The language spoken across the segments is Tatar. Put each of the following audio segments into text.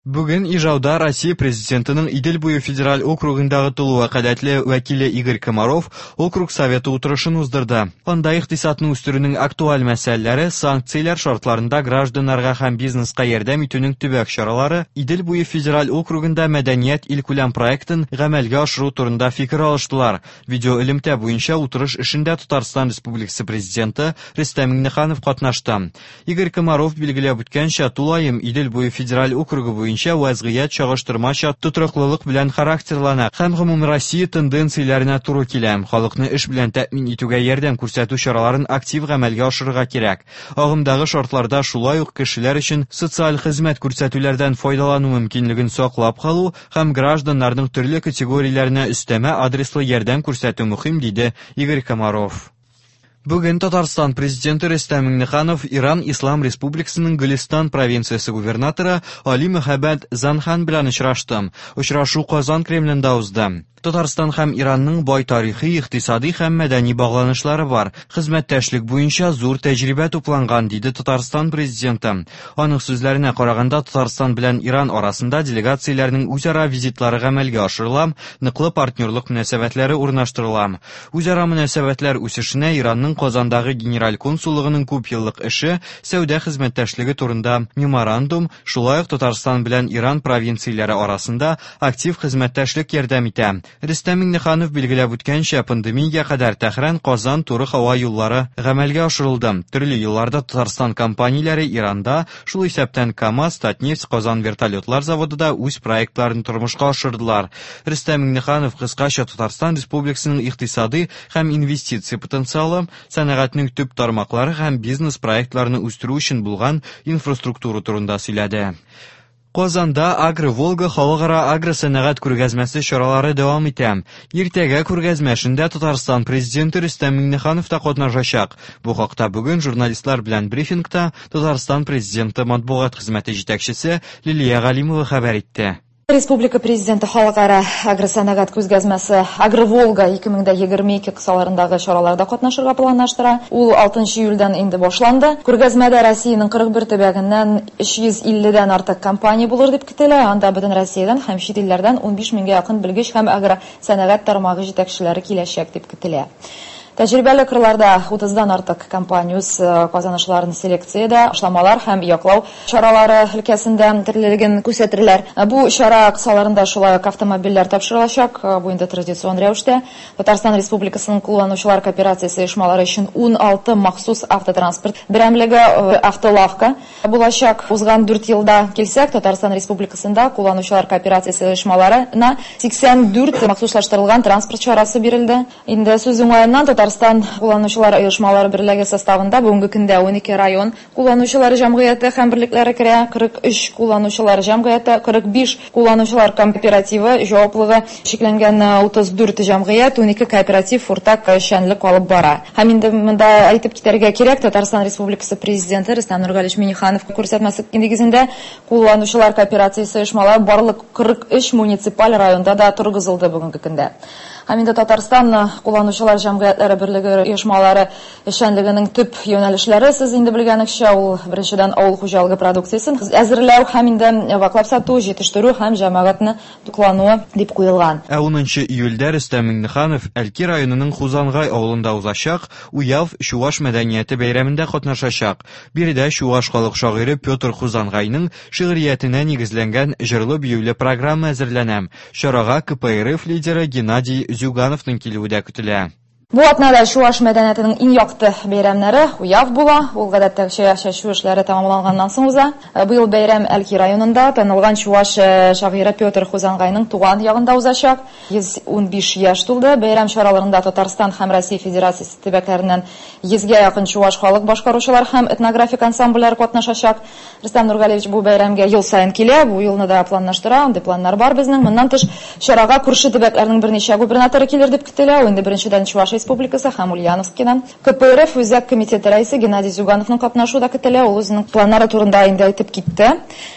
Бүген Ижауда Россия Президентының Идел буе федераль округындагы тулы вәкаләтле вәкиле Игорь Комаров округ советы утырышын уздырды. Анда икътисадны үстерүнең актуаль мәсьәләләре, санкцияләр шартларында гражданнарга һәм бизнеска ярдәм итүнең төбәк чаралары, Идел буе федераль округында мәдәният илкүләм проектын гамәлгә ашыру турында фикер алыштылар. Видеоэлемтә буенча утырыш эшендә Татарстан Республикасы Президенты Рөстәм Миңнеханов катнашты. Игорь Комаров билгеләп үткәнчә, тулаем Идел буе федераль округы буенча вәзгыять чагыштырмача тотрыклылык белән характерлана һәм гомумроссия тенденцияләренә туры килә. Халыкны эш белән тәэмин итүгә ярдәм күрсәтү чараларын актив гамәлгә ашырырга кирәк. Агымдагы шартларда шулай ук кешеләр өчен социаль хезмәт күрсәтүләрдән файдалану мөмкинлеген саклап калу һәм гражданнарның төрле категорияләренә өстәмә адреслы ярдәм күрсәтү мөһим, диде Игорь Комаров. Бүген Татарстан Президенты Рөстәм Миңнеханов Иран Ислам Республикасының Гөлестан провинциясе губернаторы Али Мөхәббәт Занхан белән очрашты. Очрашу Казан Кремлендә узды. Татарстан һәм Иранның бай тарихи, икътисади һәм мәдәни багланышлары бар. Хезмәттәшлек буенча зур тәҗрибә тупланган, диде Татарстан Президенты. Аның сүзләренә караганда, Татарстан белән Иран арасында делегацияләрнең үзара визитлары гамәлгә ашырыла, ныклы партнерлык мөнәсәбәтләре урнаштырыла. Үзара мөнәсәбәтләр үсешенә Иранның Казандагы Генераль консуллыгының күпьеллык эше, сәүдә хезмәттәшлеге турында меморандум, шулай ук Татарстан белән Иран провинцияләре арасында актив хезмәттәшлек ярдәм итә. Рөстәм Миңнеханов билгеләп үткәнчә, пандемиягә кадәр Тәһран-Казан туры һава юллары гамәлгә ашырылды. Төрле елларда Татарстан компанияләре Иранда, шул исәптән КАМАЗ, Татнефть, Казан вертолетлар заводы да үз проектларын тормышка ашырдылар. Рөстәм Миңнеханов кыскача Татарстан Республикасының икътисадый һәм инвестиция потенциалы, сәнәгатьнең төп тармаклары һәм бизнес-проектларны үстерү өчен булган инфраструктура турында сөйләде. Казанда Агро-Волга халыкара агросәнәгать күргәзмәсе чаралары дәвам итә. Иртәгә күргәзмә эшендә Татарстан Президенты Рөстәм Миңнеханов та катнашачак. Бу хакта бүген журналистлар белән брифингта Татарстан Президенты матбугат хезмәте җитәкчесе Лилия Галимова хәбәр итте. Республика Президенты халыкара агросәнәгать күргәзмәсе Агроволга 2022 кысаларындагы чараларда катнашырга планлаштыра. Ул 6 июльдән инде башланды. Күргәзмәдә Россиянең 41 төбәгеннән 350 дән артык компания булыр дип көтелә. Анда бөтен Россиядән һәм чит илләрдән 15 меңгә якын белгеч һәм агросәнәгать тармагы җитәкчеләре киләчәк дип көтелә. Тәҗрибәле кырларда 30-дан артык компания үз казанышларын селекциядә, ашламалар һәм яклау чаралары өлкәсендә төрлелеген күрсәтерләр. Бу чара кысаларында шулай ук автомобильләр тапшырылачак. Бу инде традицион рәвештә. Татарстан Республикасының кулланучылар кооперациясе оешмалары өчен 16 махсус автотранспорт берәмлеге, автолавка булачак. Узган 4 елда килсәк, Татарстан Республикасында кулланучылар кооперациясе оешмаларына 84 махсуслаштырылган транспорт чарасы бирелде. Инде сүз уңаеннан Татарстан кулланучылар оешмалары берлеге составында бүгенге көндә 12 район кулланучылар җәмгыяте һәм берлекләре керә, 43 кулланучылар җәмгыяте, 45 кулланучылар кооперативы җаваплыгы чикләнгән 34 җәмгыять, 12 кооператив уртак эшчәнлек алып бара. Һәм инде монда әйтеп китәргә кирәк, Татарстан Республикасы Президенты Рөстәм Нургалиевич Миңнеханов күрсәтмәсе нигезендә кулланучылар кооперациясе оешмалары барлык 43 муниципаль районда да торгызылды бүгенге көндә. Һәм инде Татарстан кулланучылар җәмгыятьләре берлеге оешмалары эшчәнлегенең төп юнәлешләре, сез инде белгәнегезчә, ул беренчедән авыл хуҗалыгы продукциясен әзерләү һәм инде ваклап сату, җитештерү һәм җәмәгатьне туклануы дип куелган. Ә 10 июльдә Рөстәм Миңнеханов Әлки районының Хузангай авылында узачак Уяв чуаш мәдәнияте бәйрәмендә катнашачак. Биредә чуаш халык шагыйре Петр Хузангайның шигъриятенә нигезләнгән җырлы-биюле программа әзерләнә. Чарага КПРФ лидеры Геннадий Зюгановның килүе дә көтелә. Бу атнада чуаш мәдәниятенең иң якты бәйрәмнәре Уяв була. Ул гадәттәгечә чәчү эшләре тәмамланганнан соң уза. Быел бәйрәм Әлки районында танылган чуаш шагыйре Петр Хузангайның туган ягында узачак. 115 яшь тулды. Бәйрәм чараларында Татарстан һәм Россия Федерациясе төбәкләреннән 100гә якын чуаш халык башкаручылар һәм этнографик ансамбльләр катнашачак. Рөстәм Нургалиевич бу бәйрәмгә ел саен килә, бу елны да планлаштыра, андый планнар бар безнең. Моннан тыш, чарага күрше төбәкләрнең берничә губернаторы килер дип көтелә. Ул инде беренчедән Чувашия Республикасы һәм Ульяновскидан. КПРФ Үзәк комитеты рәисе Геннадий Зюгановның катнашуы да көтелә. Ул үзенең планнары турында инде әйтеп китте.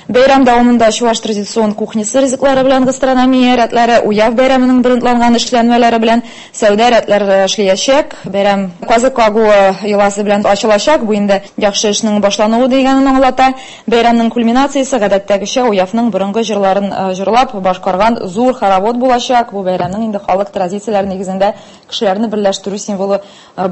Бәйрәм дәвамында чуваш традицион кухнясы ризыклары белән гастрономия рәтләре, Уяв бәйрәменең брендланган эшләнмәләре белән сәүдә рәтләре эшләячәк. Бәйрәм казык кагуы йоласы белән ачылачак. Бу инде яхшы эшнең башлануы дигәнен аңлата. Бәйрәмнең кульминациясе гадәттәгечә Уявның борынгы җырларын җырлап башкарган зур хоровод булачак. Бу бәйрәмнең инде халык традицияләре нигезендә кешеләрне берләштерү символы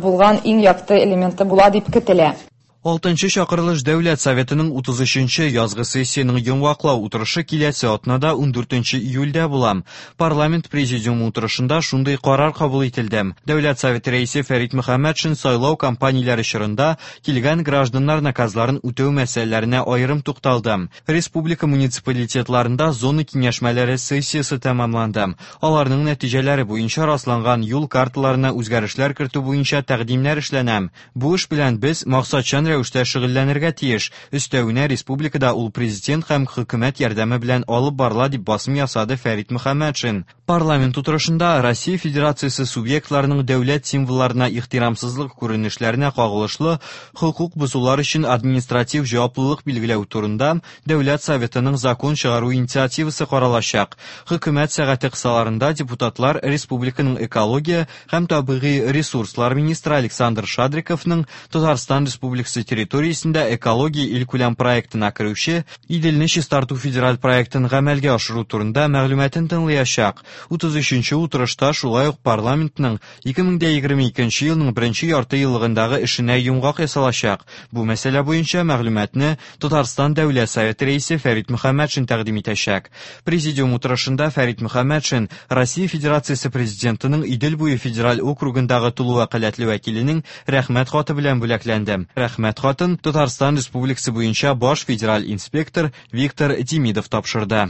булган иң якты элементы була дип көтелә. Алтынчы чакырылыш Дәүләт Советының 33-нче язгы сессиянең йомгаклау утырышы киләсе атнада 14 июльдә була. Парламент президиумы утырышында шундый карар кабул ителде. Дәүләт Советы рәисе Фәрит Мөхәммәтшин сайлау кампанияләре чорында килгән гражданнар наказларын үтәү мәсьәләләренә аерым тукталды. Республика муниципалитетларында зона киңәшмәләре сессиясе тәмамланды. Аларның нәтиҗәләре буенча расланган юл карталарына үзгәрешләр кертү буенча тәкъдимнәр эшләнә. Бу эш белән без максатчан рәвештә шөгыльләнергә тиеш. Өстәвенә республикада ул президент һәм хөкүмәт ярдәме белән алып барыла, дип басым ясады Фәрит Мөхәммәтшин. Парламент утырышында Россия Федерациясе субъектларының дәүләт символларына ихтирамсызлык күренешләренә кагылышлы хокук бозулар өчен административ җаваплылык билгеләү турында Дәүләт Советының закон чыгару инициативасы каралачак. Хөкүмәт сәгате кысаларында депутатлар республиканың экология һәм табигый ресурслар министры Александр Шадриковның Татарстан Республикасы территориясендә экология илкүләм проектына керүче Иделне чистарту федераль проектын гамәлгә ашыру турында мәгълүматын тыңлаячак. 33-нче утырышта шулай ук парламентның 2022 елның беренче ярты еллыгындагы эшенә йомгак ясалачак. Бу мәсьәлә буенча мәгълүматны Татарстан Дәүләт Советы рәисе Фәрит Мөхәммәтшин тәкъдим итәчәк. Президиум утырышында Фәрит Мөхәммәтшин Россия Федерациясе Президентының Идел буе федераль округындагы тулы вәкаләтле вәкиленең Рәхмәт хаты белән бүләкләнде. Рәхмәт хатын Татарстан Республикасы буенча баш федераль инспектор Виктор Демидов тапшырды.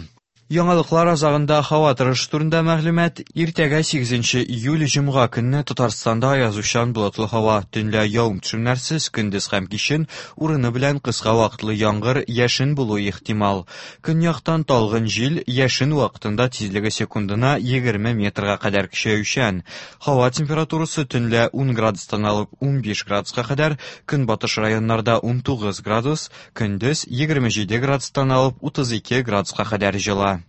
Яңалыклар азагында һава торышы турында мәгълүмат. Иртәгә 8 июль җомга көнне Татарстанда аязучан болытлы һава, төнлә явым-төшемнәрсез, көндез һәм кичен урыны белән кыска вакытлы яңгыр, яшен булуы ихтимал. Көньяктан талгын җил, яшен вакытында тизлеге секундына 20 метрга кадәр көчәючән. Һава температурасы төнлә 10 градустан алып 15 градуска кадәр, көнбатыш районнарда 19 градус, Көндез 27 градустан алып 32 градуска кадәр җылы.